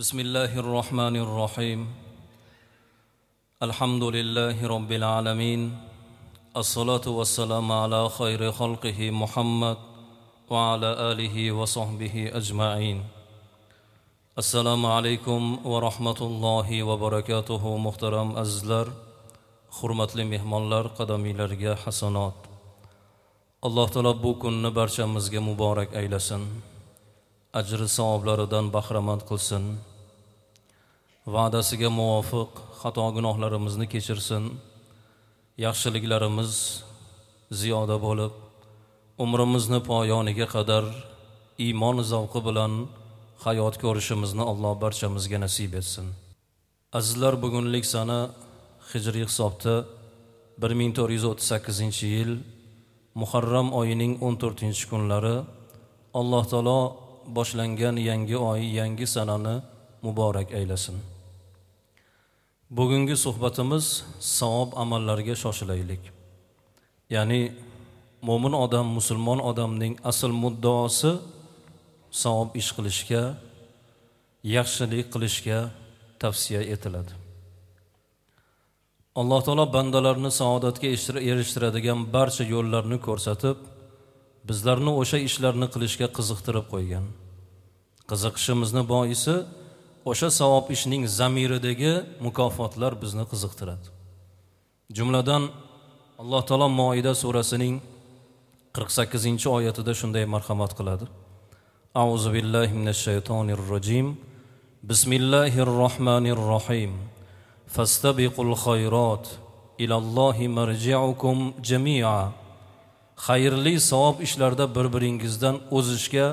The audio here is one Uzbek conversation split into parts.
بسم الله الرحمن الرحيم. الحمد لله رب العالمين. الصلاة والسلام على خير خلقه محمد وعلى آله وصحبه أجمعين. Assalomu alaykum va rahmatullohi va barakatuhu. Muhtaram azizlar, hurmatli mehmonlar, qadamiylarga hasanot. Alloh taolo bu kunni barchamizga muborak aylasin. Ajri savoblaridan bahramand qilsin. Va'dasiga muvofiq xato gunohlarimizni kechirsin. Yaxshiliklarimiz ziyoda bo'lib, umrimizni poyoniga qadar iymon zavqi bilan hayot ko'rishimizni Alloh barchamizga nasib etsin. Azizlar, bugunlik sana hijriy hisobda 1438-yil Muharram oyining 14-kunlari Alloh taolo boshlangan yangi oy, yangi sanani muborak aylasin. Bugungi suhbatimiz savob amallarga shoshilaylik. Ya'ni mo'min odam, musulmon odamning asl muddaosi savob ish qilishga, yaxshilik qilishga tavsiya etiladi. Alloh taolo bandalarni saodatga erishtiradigan barcha yo'llarni ko'rsatib, bizlarni o'sha ishlarni qilishga qiziqtirib qo'ygan. Qiziqishimizni boisi o'sha savob ishning zamiridagi mukofotlar bizni qiziqtiradi. Jumladan Alloh taolo Moida surasining 48-oyatida shunday marhamat qiladi. A'udhu billahi minash shaytonir rojim. Bismillahir rohmanir rohim. Fastabiqul khayrat ilallohi marji'ukum jami'a. Xayrli savob ishlarda bir-biringizdan o'zishga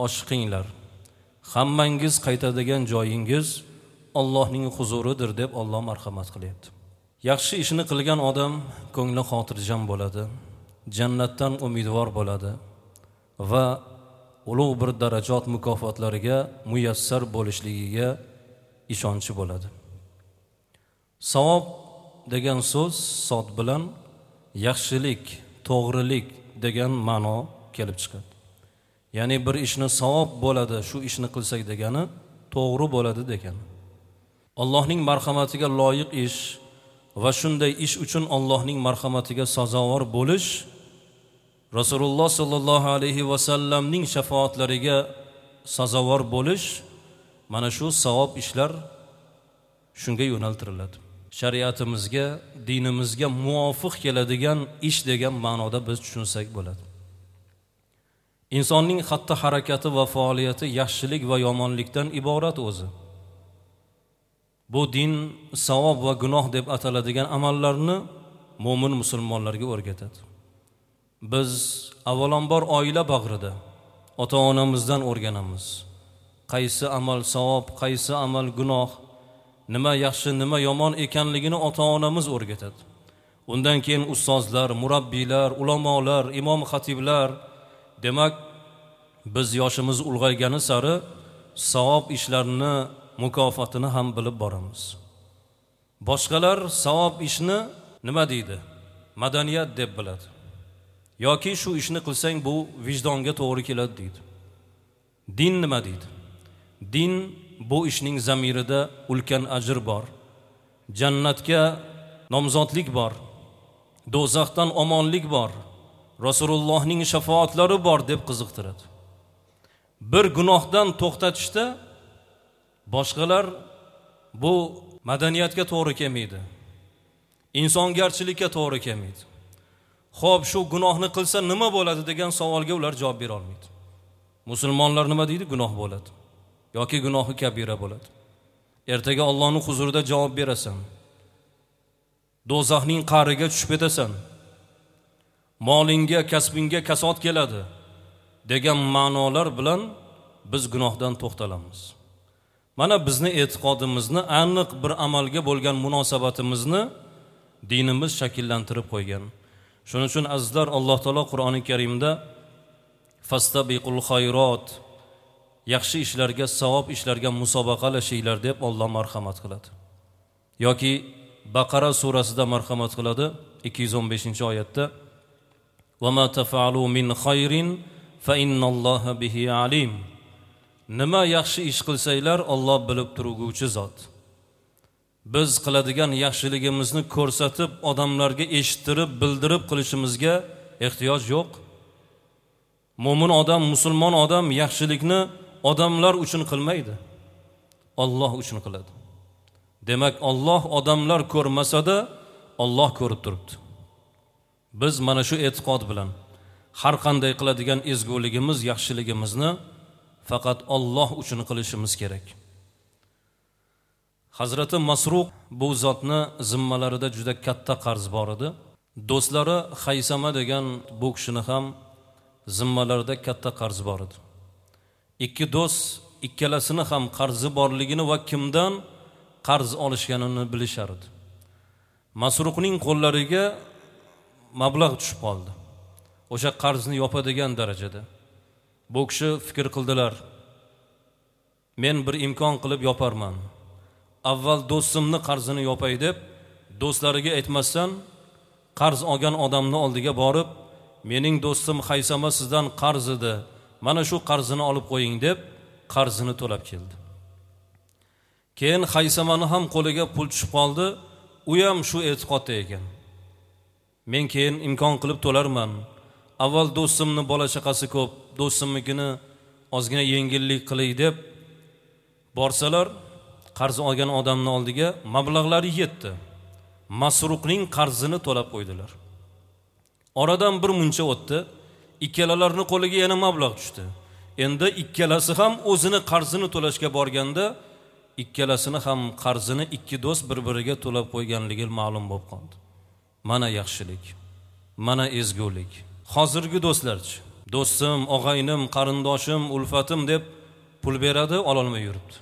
oshiqinglar. Hammangiz qaytadigan joyingiz Allohning huzuridir deb Alloh marhamat qilyapti. Yaxshi ishni qilgan odam ko'ngli xotirjam bo'ladi, jannatdan umidvor bo'ladi va ulug' bir darajot mukofotlariga muyassar bo'lishligiga ishonchi bo'ladi. Savob degan so'z sod bilan yaxshilik, to'g'rilik degan ma'no kelib chiqadi. Ya'ni bir ishni savob bo'ladi, shu ishni qilsak degani to'g'ri bo'ladi degani. Allohning marhamatiga loyiq ish va shunday ish uchun Allohning marhamatiga sazovor bo'lish Rasululloh sallallohu alayhi va sallamning shafoatlariga sazovor bo'lish, mana shu savob ishlar shunga yo'naltiriladi. Shariatimizga, dinimizga muvofiq keladigan ish degan ma'noda biz tushunsak bo'ladi. Insonning xatti-harakati va faoliyati yaxshilik va yomonlikdan iborat o'zi. Bu din savob va gunoh deb ataladigan amallarni mo'min musulmonlarga o'rgatadi. Biz avvalambor oila bag'rida ota-onamizdan o'rganamiz. Qaysi amal savob, qaysi amal gunoh, nima yaxshi, nima yomon ekanligini ota-onamiz o'rgatadi. Undan keyin ustozlar, murabbiylar, ulamolar, imom xatiblar. Demak, biz yoshimiz ulg'aygani sari savob ishlarni mukofotini ham bilib boramiz. Boshqalar savob ishni nima deydi? Madaniyat deb biladi. Yoki shu ishni qilsang bu vijdonga to'g'ri keladi deydi. Din nima deydi? Din bu ishning zamirida ulkan ajr bor. Jannatga nomzodlik bor. Do'zaxdan omonlik bor. Rasulullohning shafoatlari bor deb qiziqtiradi. Bir gunohdan to'xtatishda boshqalar bu madaniyatga to'g'ri kelmaydi. Insongarchilikka to'g'ri kelmaydi. Xo'p, shu gunohni qilsa nima bo'ladi degan savolga ular javob bera olmaydi. Musulmonlar nima deydi? Gunoh bo'ladi yoki gunohi kabira bo'ladi. Ertaga Allohning huzurida javob berasan. Do'zaxning qa'riga tushib ketasan. Molingga, kasbingga kasod keladi degan ma'nolar bilan biz gunohdan to'xtalamiz. Mana bizni e'tiqodimizni, aniq bir amalga bo'lgan munosabatimizni dinimiz shakllantirib qo'ygan. Shuning uchun azizlar, Alloh taolo Qur'oni Karimda fastabiqul xayrat, yaxshi ishlarga, savob ishlarga musobaqalashinglar deb Alloh marhamat qiladi. Yoki Baqara surasida marhamat qiladi 215-oyatda: "Va ma taf'alu min khayrin fa innalloha bihi alim." Nima yaxshi ish qilsanglar, Alloh bilib turguvchi zot. Biz qiladigan yaxshiligimizni ko'rsatib, odamlarga eshittirib, bildirib qilishimizga ehtiyoj yo'q. Mo'min odam, musulmon odam yaxshilikni odamlar uchun qilmaydi. Alloh uchun qiladi. Demak, Alloh odamlar ko'rmasa-da, Alloh ko'rib turibdi. Biz mana shu e'tiqod bilan har qanday qiladigan ezguligimiz, yaxshiligimizni faqat Alloh uchun qilishimiz kerak. Hazrati Masruq bu zotni zimmalarida juda katta qarz bor edi. Do'stlari Haysama degan bu kishini ham zimmalarida katta qarz bor edi. Ikki do'st ikkalasini ham qarzi borligini va kimdan qarz olishganini bilishar edi. Masruqning qo'llariga mablag' tushib qoldi. O'sha qarzni yopadigan darajada. Bu kishi fikr qildilar. Men bir imkon qilib yoparman. Avval do'stimni qarzini yopay deb do'stlariga aytmasdan qarz olgan odamni oldiga borib, mening do'stim Haysama sizdan qarz edi, mana shu qarzini olib qo'ying deb qarzini to'lab keldi. Keyin Haysamani ham qo'liga pul tushib qoldi, u ham shu e'tiqodda ekan. Men keyin imkon qilib to'larman. Avval do'stimni bola chaqasi ko'p, do'stimnikini ozgina yengillik qilay deb borsalar, qarz olgan odamning oldiga mablag'lari yetdi. Masruqning qarzini to'lab qo'ydilar. Oradan bir muncha o'tdi, ikkalalarining qo'liga yana mablag' tushdi. Endi ikkalasi ham o'zini qarzini to'lashga borganda, ikkalasini ham qarzini ikki do'st bir-biriga to'lab qo'yganligi ma'lum bo'lib qoldi. Mana yaxshilik, mana ezgulik. Hozirgi do'stlarchi, do'stim, og'aynim, qarindoshim, ulfatim deb pul beradi, ololmay yuribdi.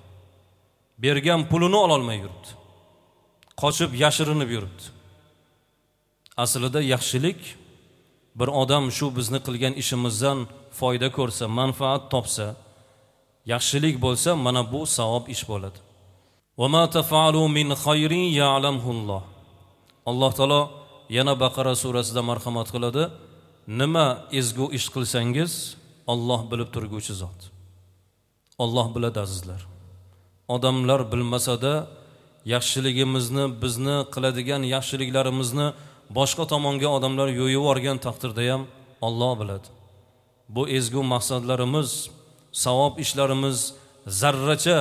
Bergan pulini ololmay yuribdi. Qochib, yashirinib yuribdi. Aslida yaxshilik bir odam shu bizni qilgan ishimizdan foyda ko'rsa, manfaat topsa, yaxshilik bo'lsa, mana bu savob ish bo'ladi. Va ma taf'alu min khayrin ya'lamhulloh. Alloh taolo yana Baqara surasida marhamat qiladi. Nima ezgu ish qilsangiz, Alloh bilib turguvchi zot. Alloh biladi azizlar. Odamlar bilmasa-da, yaxshiligimizni, bizni qiladigan yaxshiliklarimizni boshqa tomonga odamlar yo'yib yuborgan taqdirda ham Alloh biladi. Bu ezgu maqsadlarimiz, savob ishlarimiz zarracha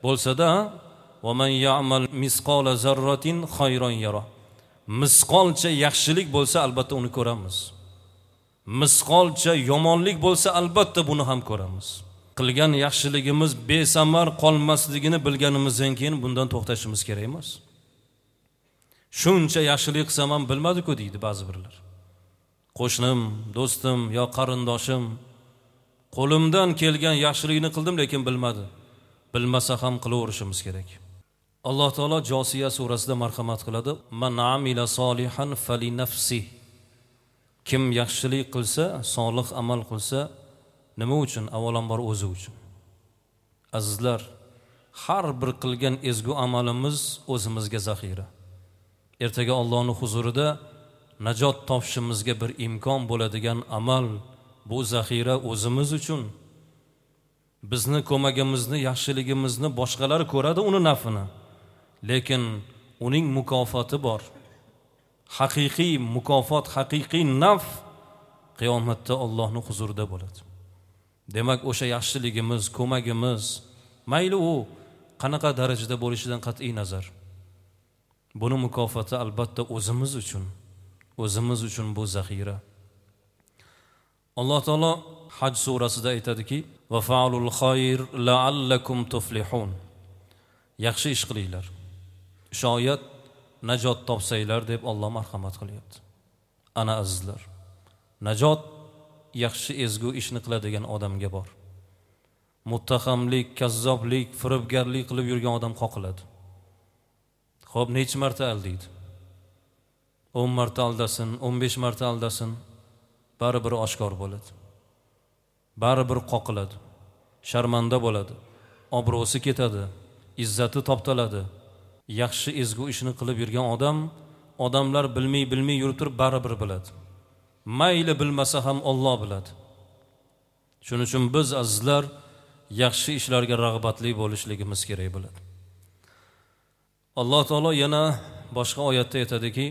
bo'lsa-da, va man ya'mal misqola zarratin khayron yara. Misqolcha yaxshilik bo'lsa albatta uni ko'ramiz. Misqolcha yomonlik bo'lsa albatta buni ham ko'ramiz. Qilgan yaxshiligimiz besamar qolmasligini bilganimizdan keyin bundan to'xtashimiz kerak emas. Shuncha yaxshilik qilsam ham bilmadi-ku deydi ba'zi birlar. Qo'shnim, do'stim yo qarindoshim qo'limdan kelgan yaxshilikni qildim, lekin bilmadi. Bilmasa ham qilaverishimiz kerak. Alloh taolo Josiya surasida marhamat qiladi. Man amila solihan fali nafsi. Kim yaxshilik qilsa, solih amal qilsa, nima uchun? Avvalambor o'zi uchun. Azizlar, har bir qilgan ezgu amalimiz o'zimizga zaxira. Ertaga Allohning huzurida najot topishimizga bir imkon bo'ladigan amal, bu zaxira o'zimiz uchun. Bizni ko'magimizni, yaxshiligimizni boshqalar ko'radi, uni nafini. Lekin uning mukofoti bor. Haqiqiy mukofot, haqiqiy naf qiyomatda Allohning huzurida bo'ladi. Demak, o'sha yaxshiligimiz, ko'magimiz, mayli u qanaqa darajada bo'lishidan qat'iy nazar, buni mukofoti albatta o'zimiz uchun, o'zimiz uchun bu zaxira. Alloh taolo Haj surasida aytadiki: "Va fa'alul khayr la'allakum tuflihun." Yaxshi ish qilinglar, shoyat najot topsanglar deb Alloh marhamat qilyapti. Ana azizlar, najot yaxshi ezgu ishni qiladigan odamga bor. Muttahamlik, kazzoblik, firibgarlik qilib yurgan odam qoqiladi. Xo'p, necha marta aldaydi? 10 marta aldasin, 15 marta aldasin, baribir oshkor bo'ladi. Baribir qoqiladi, sharmanda bo'ladi, obro'si ketadi, izzati toptaladi. Yaxshi ezgu ishni qilib yurgan odam, odamlar bilmay yurib turib baribir biladi. Mayli bilmasa ham Alloh biladi. Shuning uchun biz azizlar yaxshi ishlarga rag'batli bo'lishligimiz kerak bo'ladi. Alloh taolo yana boshqa oyatda aytadiki: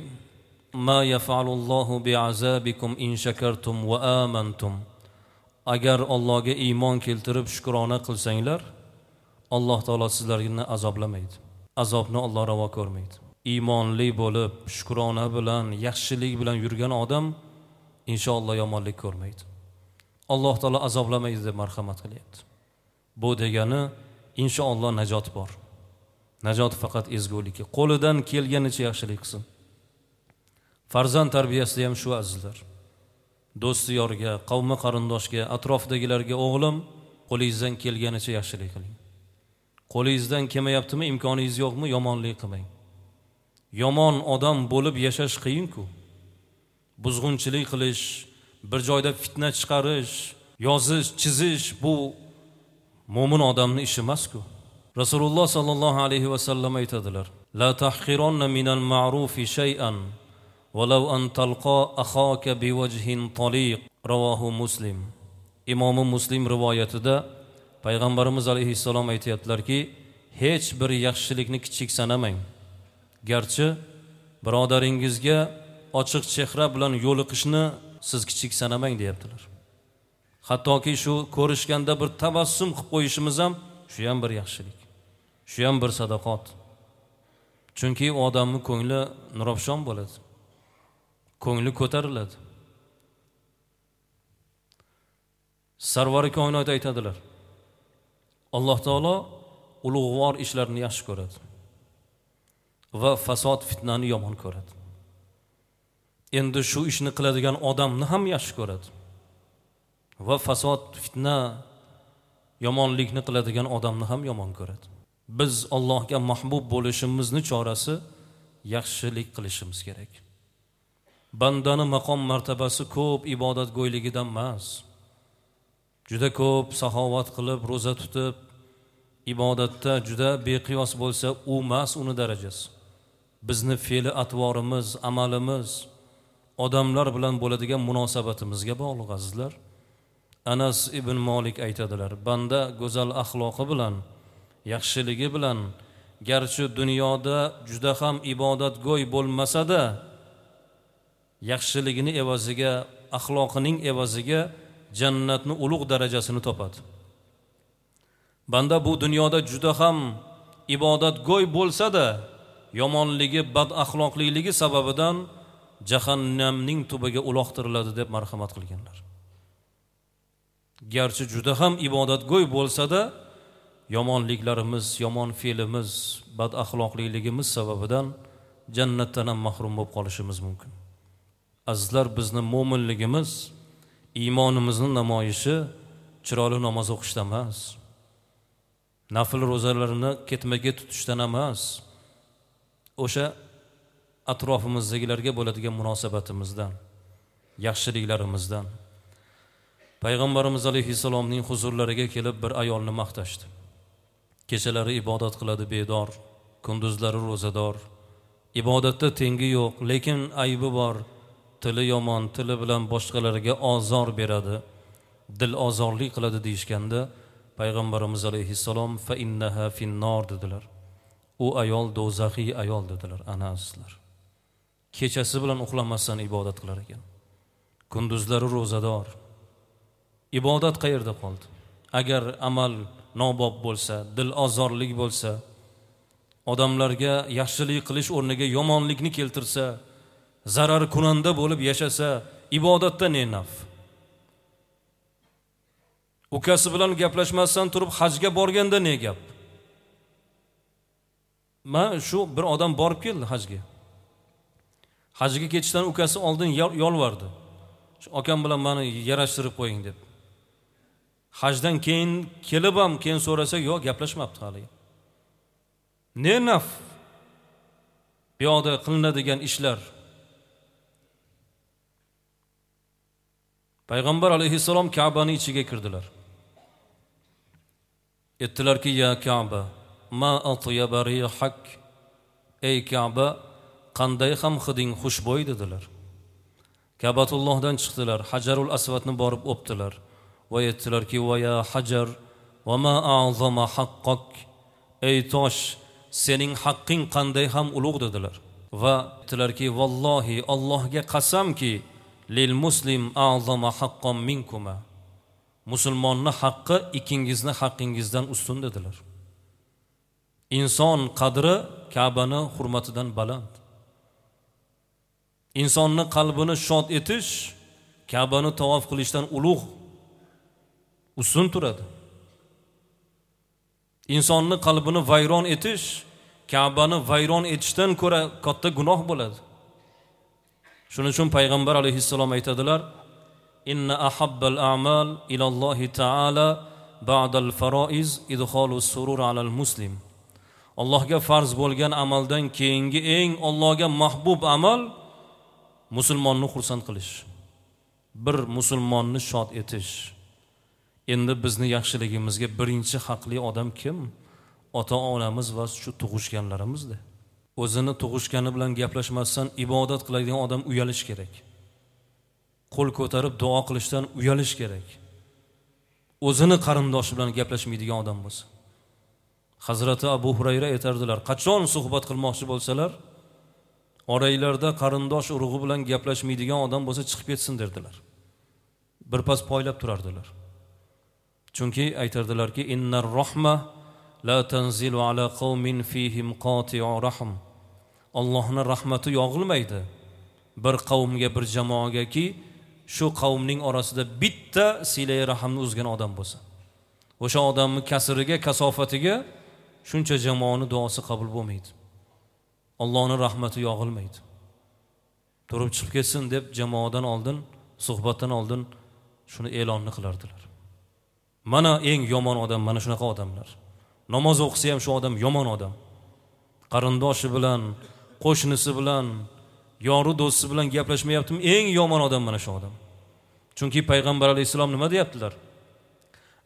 "Ma yaf'alullohu bi'azabikum in shakartum va amantum." Agar Allohga iymon keltirib shukrona qilsanglar, Alloh taolo sizlarni azoblamaydi. Azobni Alloh ravo ko'rmaydi. Iymonli bo'lib, shukrona bilan, yaxshilik bilan yurgan odam inshaalloh yomonlik ko'rmaydi. Alloh taolo azoblamaydi deb marhamat qilyapti. Bu degani inshaalloh najot bor. Najot faqat ezgulikka, qo'lidan kelganicha yaxshilik qilsin. Farzand tarbiyasida ham shu azizlar. Do'st yorga, qavmi qarindoshga, atrofdagilarga o'g'lim, qo'lingizdan kelganicha yaxshilik qiling. Qo'lingizdan kelmayaptimi, imkoningiz yo'qmi, yomonlik qilmang. Yomon odam bo'lib yashash qiyin-ku. Buzg'unchilik qilish, bir joyda fitna chiqarish, yozish, chizish bu mo'min odamning ishi emas-ku. Rasululloh sallallohu alayhi va sallam aytadilar: "La tahqironna minal ma'rufi shay'an walau an talqa akhaka biwajhin taliq." Ravohu Muslim. Imomi Muslim rivoyatida Payg'ambarimiz alayhissalom aytayaptilarki, hech bir yaxshilikni kichik sanamang. Garchi birodaringizga ochiq chehra bilan yo'liqishni siz kichik sanamang deyaptilar. Hattoki shu ko'rishganda bir tabassum qilib qo'yishimiz ham shu ham bir yaxshilik. Shu ham bir sadaqat. Chunki odamning ko'ngli nurafshon bo'ladi. Ko'ngli ko'tariladi. Sarvari koinot aytadilar: Alloh taolo ulug'vor ishlarni yaxshi ko'radi va fasod fitnani yomon ko'radi. Endi shu ishni qiladigan odamni ham yaxshi ko'radi va fasod fitna yomonlikni qiladigan odamni ham yomon ko'radi. Biz Allohga mahbub bo'lishimizni chorasi yaxshilik qilishimiz kerak. Bandani maqom martabasi ko'p ibodatgo'yligidan emas. Juda ko'p saxovat qilib, ro'za tutib, ibodatda juda beqiyos bo'lsa, u emas uni darajasi. Bizni fe'li atvorimiz, amalimiz odamlar bilan bo'ladigan munosabatimizga bog'liq azizlar. Anas ibn Malik aytadilar: banda go'zal axloqi bilan, yaxshiligi bilan, garchi dunyoda juda ham ibodatgo'y bo'lmasa-da, yaxshiligini evaziga, axloqining evaziga jannatni ulug' darajasini topadi. Banda bu dunyoda juda ham ibodatgo'y bo'lsa-da, yomonligi, bad axloqliligi sababidan jahannamning tubiga uloqtiriladi deb marhamat qilganlar. Garchi juda ham ibodatgo'y bo'lsa-da, yomonliklarimiz, yomon fe'limiz, bad axloqliligimiz sababidan jannatdan ham mahrum bo'lib qolishimiz mumkin. Azizlar, bizni mo'minligimiz, iymonimizni namoyishi chiroyli namoz o'qishda emas, nafl ro'zalarini ketma-ket tutishdan emas, o'sha atrofimizdagilarga bo'ladigan munosabatimizdan, yaxshiliklarimizdan. Payg'ambarimiz alayhissalomning huzurlariga kelib bir ayolni maqtashdi. Kechalari ibodat qiladi bedor, kunduzlari ro'zador. Ibodatda tengi yo'q, lekin aybi bor. Tili yomon, tili bilan boshqalarga ozor beradi, dil ozorlik qiladi deyishganda Payg'ambarimiz alayhissalom fa innaha finnor dedilar. U ayol do'zaxiy ayol dedilar. Ana azizlar, kechasi bilan uxlamasdan ibodat qilar ekan, kunduzlari ro'zador. Ibodat qayerda qoldi? Agar amal nobob bo'lsa, dil ozorlik bo'lsa, odamlarga yaxshilik qilish o'rniga yomonlikni keltirsa, zarar kunanda bo'lib yashasa, ibodatda ne naf? Ukasi bilan gaplashmasdan turib hajga borganda ne gap? Men shu bir odam borib keldi hajga. Hajga ketishdan ukasi oldin yolvardi. Shu akam bilan meni yarashtirib qo'ying deb. Hajdan keyin kelib ham keyin so'rasa, yo'q, gaplashmabdi hali. Ne naf? Bu yoqda qilinadigan ishlar. Payg'ambar alayhissalom Ka'bani ichiga kirdilar. Aytdilarki: "Ya Ka'ba, ma atyaba rihak." Ey Ka'ba, qanday ham hiding xushbo'y dedilar. Ka'batullohdan chiqdilar, Hajarul Asvadni borib o'pdilar va aytdilarki: "Va ya Hajar, Va ma a'zama haqqak, ey tosh, sening haqqing qanday ham ulug' dedilar. Va aytdilarki, vallohi Allohga qasamki, lil muslim a'zama haqqan minkuma. Musulmonni haqqi ikkingizni haqqingizdan ustun dedilar. Inson qadri Ka'bani hurmatidan baland. Insonni qalbini shod etish Ka'bani tavof qilishdan ulug', ustun turadi. Insonni qalbini vayron etish Ka'bani vayron etishdan ko'ra katta gunoh bo'ladi. Shuning uchun payg'ambar alayhissalom aytadilar: "Inna ahabbal a'mal ila Allohi ta'ala ba'dal faroiz idxolus surur alal muslim." Allohga farz bo'lgan amaldan keyingi eng Allohga mahbub amal musulmonni xursand qilish. Bir musulmonni shod etish. Endi bizni yaxshiligimizga birinchi haqli odam kim? Ota-onamiz va shu tug'ishganlarimizda. O'zini tug'ishgani bilan gaplashmasdan ibodat qiladigan odam uyalish kerak. Qo'l ko'tarib duo qilishdan uyalish kerak. O'zini qarindoshi bilan gaplashmaydigan odam bo'lsa. Hazrati Abu Hurayra aytardilar, qachon suhbat qilmoqchi bo'lsalar, oranglarda qarindosh urug'i bilan gaplashmaydigan odam bo'lsa chiqib ketsin derdilar. Birpas poylab turardilar. Chunki aytardilarki, innar rahma la tanzilu ala qawmin fihim qati'u rahm. Allohning rahmati yog'ilmaydi bir qavmga, bir jamoagaki shu qavmning orasida bitta silai rahmni uzgan odam bo'lsa. O'sha odamning kasriga, kasofatiga shuncha jamoaning duosi qabul bo'lmaydi. Allohning rahmati yog'ilmaydi. Turib chiqib ketsin deb jamoadan oldin, suhbatdan oldin shuni e'lonni qilardilar. Mana eng yomon odam mana shunaqa odamlar. Namoz o'qisa ham shu odam yomon odam. Qarindoshi bilan, qo'shnisi bilan, yoru do'sti bilan gaplashmayaptimi? Eng yomon odam mana shu odam. Chunki payg'ambar alayhissalom nima deyaptilar?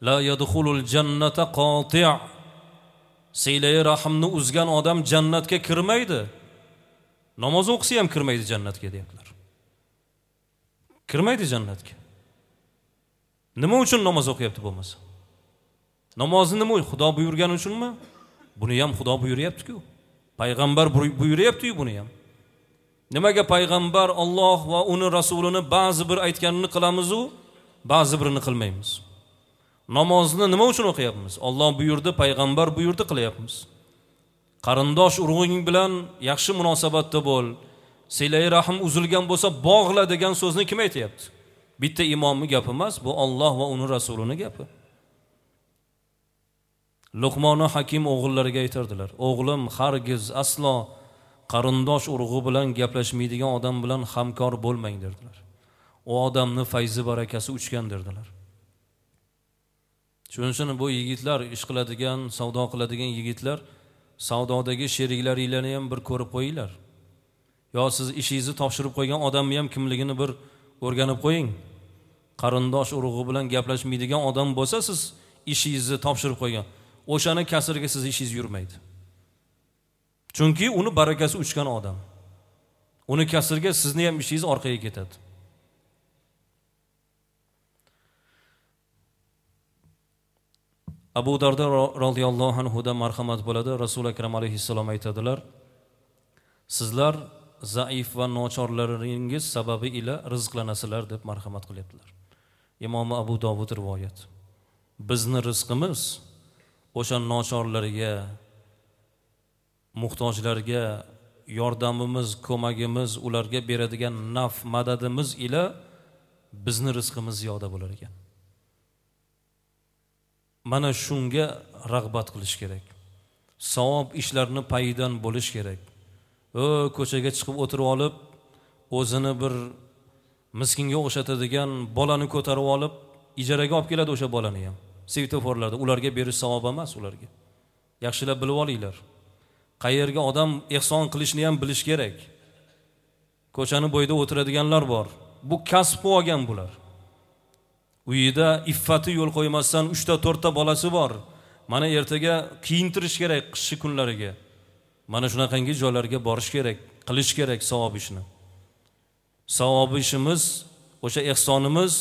La yadkhulul jannata qati'. Silai rahmni uzgan odam jannatga kirmaydi. Namoz o'qisa ham kirmaydi jannatga deyaptilar. Kirmaydi jannatga. Nima uchun namoz o'qiyapti bo'lmasa? Namozni nima uchun? Xudo buyurgani uchunmi? Buni ham Xudo buyuryapti-ku. Payg'ambar buyuryapti-ku buni ham. Nimaga payg'ambar Alloh va uni rasulini ba'zi bir aytganini qilamiz-u, ba'zi birini qilmaymiz? Namozni nima uchun o'qiyapmiz? Alloh buyurdi, payg'ambar buyurdi, qilyapmiz. Qarindosh urug'ing bilan yaxshi munosabatda bo'l. Silai rahm uzilgan bo'lsa bog'la degan so'zni kim aytayapti? Bitta imomning gapi emas, bu Alloh va uni rasulining gapi. Luqmoni Hakim o'g'illariga aytardilar: "O'g'lim, hargiz aslo qarindosh urug'i bilan gaplashmaydigan odam bilan hamkor bo'lmang" derdilar. U odamning fayzi barakasi uchgan derdilar. Shuning uchun bu yigitlar, ish qiladigan, savdo qiladigan yigitlar, savdodagi sheriklaringlarni ham bir ko'rib qo'yinglar. Yo siz ishingizni topshirib qo'ygan odamni ham kimligini bir o'rganib qo'ying. Qarindosh urug'i bilan gaplashmaydigan odam bo'lsa, siz ishingizni topshirib qo'ygan, o'shani kasriga siz ishingiz yurmaydi. Chunki uni barakasi uchgan odam. Uni kasriga sizni ham ishingiz orqaga ketadi. Abu Darda radhiyallohu anhu da marhamat bo'ladi. Rasul akram alayhissalom aytadilar: "Sizlar zaif va nochorlaringiz sababi ila rizqlanasizlar" deb marhamat qilyaptilar. Imom Abu Dovud rivoyat. Bizni rizqimiz o'sha nochorlarga, muhtojlarga yordamimiz, ko'magimiz, ularga beradigan naf madadimiz ila bizni rizqimiz ziyoda bo'lar ekan. Mana shunga rag'bat qilish kerak. Savob ishlarni payidan bo'lish kerak. Ko'chaga chiqib o'tirib olib, o'zini bir miskinga o'xshatadigan bolani ko'tarib olib, ijaraga olib keladi o'sha bolani ham. Svetoforlarda ularga berish savob emas ularga. Yaxshilab bilib olinglar. Qayerga odam ehson qilishni ham bilish kerak. Ko'chani bo'yida o'tiradiganlar bor. Bu kasb olgan bular. Uyida iffati yo'l qo'ymasdan 3 ta 4 ta bolasi bor. Mana ertaga kiyintirish kerak qishki kunlariga. Mana shunaqangi joylarga borish kerak, qilish kerak savob ishni. Savob ishimiz, o'sha ehsonimiz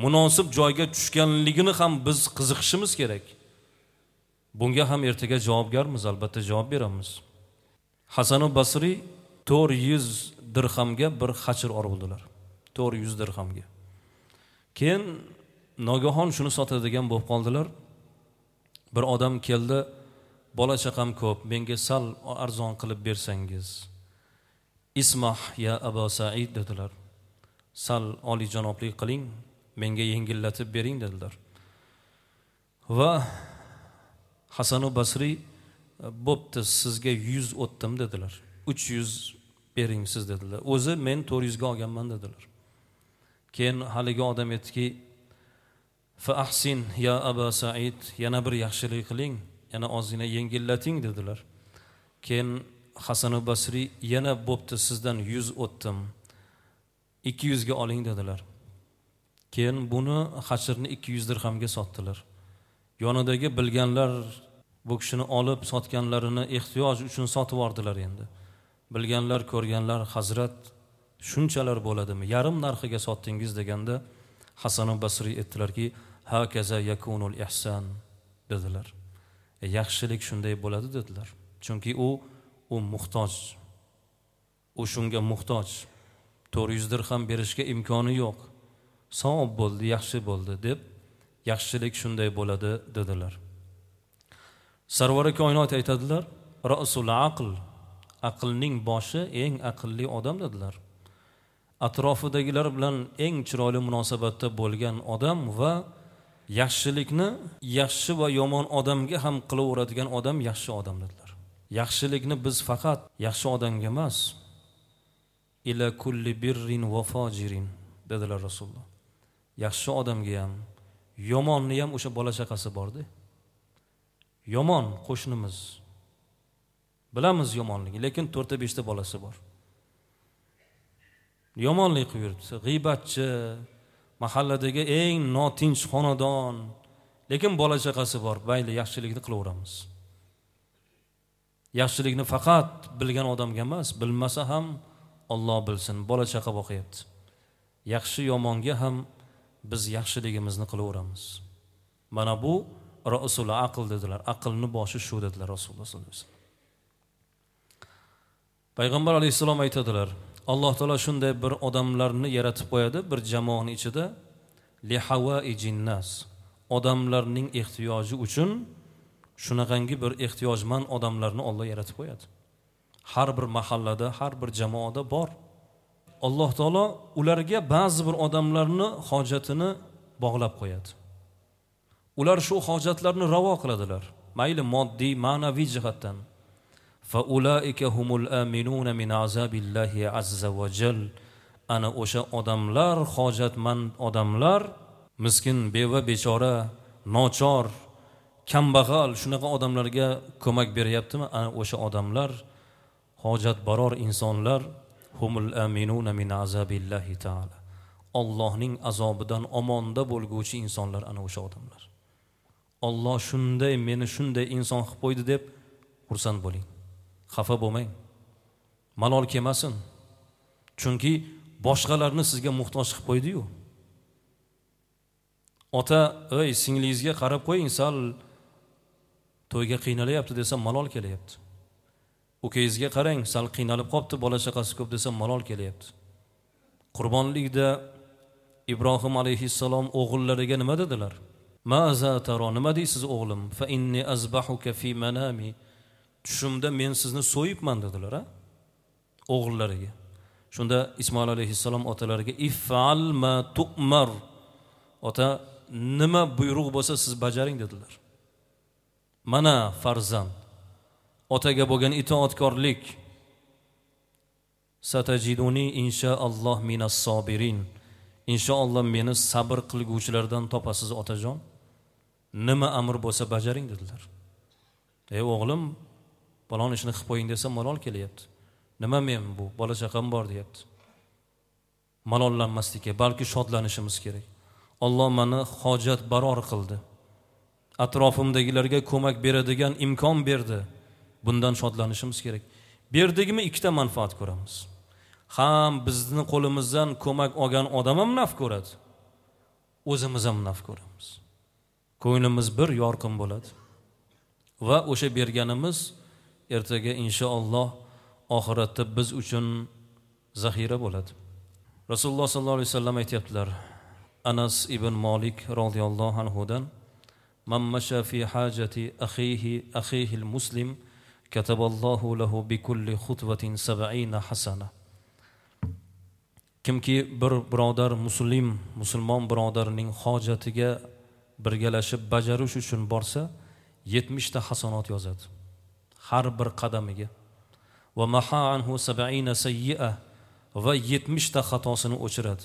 munosib joyga tushganligini ham biz qiziqishimiz kerak. Bunga ham ertaga javobgarmiz, albatta javob beramiz. Hasan Basriy 400 dirhamga bir xachir oldilar. 400 dirhamga. Keyin nogahon shuni sotadigan bo'lib qoldilar. Bir odam keldi, bola chaqam ko'p, menga sal arzon qilib bersangiz. Ismah ya Abu Said dedilar. Sal oliyjanoblik qiling, menga yengillatib bering dedilar. Va Hasan Basriy bo'pti, sizga 100 o'tdim dedilar. 300 bering siz dedilar. O'zi men 400 ga olganman dedilar. Keyin haligi odam aytdiki, fa ahsin ya Abu Said, yana bir yaxshilik qiling, yana ozgina yengillating dedilar. Keyin Hasan Basriy yana bo'pti, sizdan 100 o'tdim, 200 ga oling dedilar. Keyin buni xachirni 200 dirhamga sotdilar. Yonidagi bilganlar bu kishini olib sotganlarini ehtiyoj uchun sotib yubordilar endi. Bilganlar, ko'rganlar, hazrat shunchalar bo'ladimi? Yarim narxiga sotdingiz deganda Hasan Basriy aytdilarki, hakaza yakunul ihson dedilar. Yaxshilik shunday bo'ladi dedilar. Chunki u muhtoj. U shunga muhtoj. 400 dirham berishga imkoni yo'q. Savob bo'ldi, yaxshi bo'ldi deb yaxshilik shunday bo'ladi dedilar. Sarvari koinot aytadilar, ra'sul aql, aqlning boshi eng aqlli odam dedilar. Atrofidagilar bilan eng chiroyli munosabatda bo'lgan odam va yaxshilikni yaxshi va yomon odamga ham qilaveradigan odam yaxshi odam dedilar. Yaxshilikni biz faqat yaxshi odamga emas, ila kulli birrin va fajirin dedilar Rasululloh. Yaxshi odamga ham, yomonni ham o'sha bola chaqasi bordi. Yomon qo'shnimiz, bilamiz yomonligi, lekin 4-5 ta bolasi bor. Yomonlik qilib yuribdi, g'iybatchi, mahalladagi eng notinch xonadon, lekin bola chaqasi bor. Mayli, yaxshilikni qilaveramiz. Yaxshilikni faqat bilgan odamga emas, bilmasa ham Alloh bilsin, bola chaqa boqyapti. Yaxshi yomonga ham biz yaxshiligimizni qilaveramiz. Mana bu ra'sul aql dedilar. Aqlni boshi shu dedilar Rasululloh sollallohu alayhi vasallam. Payg'ambar alayhissalom aytadilar, Alloh taolo shunday bir odamlarni yaratib qo'yadi bir jamoaning ichida, li hawaijin nas, odamlarning ehtiyoji uchun shunaqangi bir ehtiyojmand odamlarni Alloh yaratib qo'yadi. Har bir mahallada, har bir jamoada bor. Alloh taolo ularga ba'zi bir odamlarni hojatini bog'lab qo'yadi. Ular shu hojatlarni ravo qiladilar. Mayli moddiy, ma'naviy jihatdan. Fa ulaika humul aminuna min azabillahi azza va jal. Ana o'sha odamlar, hojatmand odamlar, miskin, beva, bechora, nochor, kambag'al, shunaqa odamlarga ko'mak beryaptimi? Ana o'sha odamlar, hojatbaror insonlar, humul aminuna min azabillahi taala. Allohning azobidan omonda bo'lguvchi insonlar ana o'sha odamlar. Alloh shunday meni shunday inson qilib qo'ydi deb xursand bo'ling. Xafa bo'lmang. Malol kelmasin. Chunki boshqalarni sizga muhtoj qilib qo'ydi-yu. Ota, "Ey, singlingizga qarab qo'ying, sal to'yga qiynalyapti" desa malol kelyapti. Ukangizga qarang, sal qiynalib qopti, bola chaqasi ko'p desa malol kelyapti. Qurbonlikda Ibrohim alayhissalom o'g'illariga nima dedilar? Maza taro, nima deysiz o'g'lim? Fa inni azbahuka fi manami. Tushimda men sizni so'yibman dedilar, ha? O'g'illariga. Shunda Ismoil alayhissalom otalariga if'al ma tu'mar. Ota, nima buyruq bo'lsa siz bajaring dedilar. Mana farzand, otaga bo'lgan itoatkorlik. Satajiduni inshaalloh minas sobirin. Inshaalloh meni sabr qilguvchilardan topasiz otajon. Nima amr bo'lsa bajaring dedilar. Ey o'g'lim, falon ishni qilib qo'ying desa malol kelyapti. Nima men bu, bola chaqam bor deyapti. Malollanmaslik, balki shodlanishimiz kerak. Alloh meni hojat baror qildi. Atrofimdagilarga ko'mak beradigan imkon berdi. Bundan shodlanishimiz kerak. Berdikmi ikkita manfaat ko'ramiz. Ham bizni qo'limizdan ko'mak olgan odam ham naf ko'radi, o'zimiz ham naf ko'ramiz. Ko'nglimiz bir yorqin bo'ladi. Va o'sha berganimiz ertaga inshaalloh oxiratda biz uchun zaxira bo'ladi. Rasululloh sallallohu alayhi vasallam aytayaptilar, Anas ibn Malik radhiyallohu anhudan: "Man masha fi hajati akhihi al-muslim kataballohu lahu bi kulli khutwatin 70 hasana." Kimki bir birodar musulmon birodarining hojatiga birgalashib bajarish uchun borsa, 70 ta hasanot yozadi har bir qadamiga. Va maha anhu 70 sayyi'a, va 70 ta xatosini o'chiradi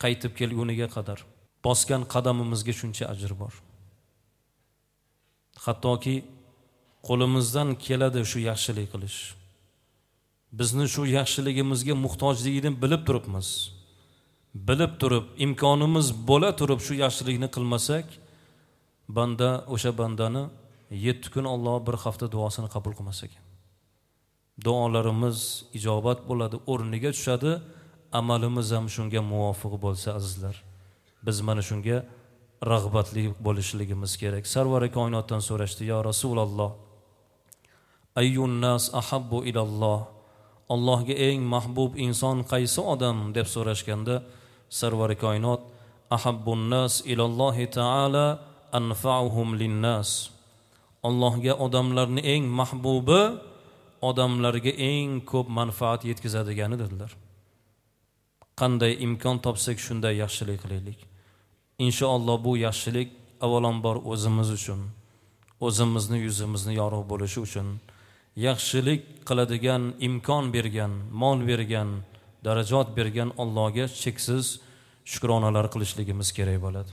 qaytib kelguniga qadar. Bosgan qadamimizga shuncha ajr bor. Hattoki qo'limizdan keladi shu yaxshilik qilish. Bizni shu yaxshiligimizga muhtojligini bilib turibmiz. Bilib turib, imkonimiz bo'la turib shu yaxshilikni qilmasak, banda o'sha bandani 7 kun Alloh bir hafta duosini qabul qilmas ekan. Duolarimiz ijobat bo'ladi, o'rniga tushadi, amalimiz ham shunga muvofiq bo'lsa azizlar. Biz mana shunga rag'batli bo'lishligimiz kerak. Sarvari koinotdan so'rashdi: "Ya Rasululloh, ayyun nas ahabbu ilalloh?" Allohga eng mahbub inson qaysi odam deb so'rashganda, Sarvari koinot: "Ahabbun nas ilallohi taala anfa'uhum linnas." Allohga odamlarning eng mahbubi odamlarga eng ko'p manfaat yetkazadigani dedilar. Qanday imkon topsak shunday yaxshilik qilaylik. Inshaalloh bu yaxshilik avvalambor o'zimiz uchun, o'zimizni yuzimizni yorug' bo'lishi uchun, yaxshilik qiladigan imkon bergan, mol bergan, darajat bergan Allohga cheksiz shukronalar qilishligimiz kerak bo'ladi.